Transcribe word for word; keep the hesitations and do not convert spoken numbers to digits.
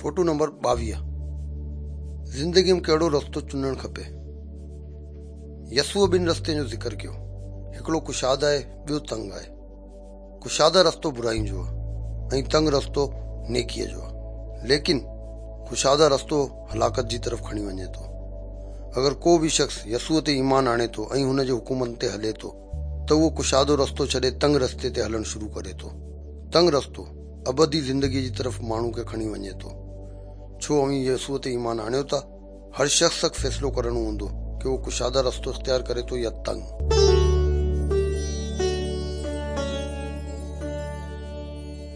Photo number ٻاويهه. زندگيء ۾ ڪهڙو رستو چونڊڻ کپي؟ يسوع ٻن رستن جو ذڪر ڪيو. هڪڙو ڪشاده آهي، ٻيو تنگ آهي. ڪشاده رستو برائين جو آهي ۽ تنگ رستو نيڪيء جو آهي. ليڪن ڪشاده رستو هلاڪت جي طرف کڻي وڃي ٿو. اگر ڪو به شخص يسوع تي ايمان آڻي ٿو ۽ هن جي حڪمن تي هلي ٿو ته اهو ڪشادو رستو ڇڏي تنگ رستي تي هلڻ شروع ڪري ٿو. تنگ رستو ابدي زندگيء جي طرف ماڻهو کي کڻي وڃي ٿو. ڇو اوهين يسوع تي ايمان آڻيو ٿا؟ هر شخص کي فيصلو ڪرڻو هوندو ڪه اهو ڪشاده رستو اختيار ڪري ٿو يا تنگ.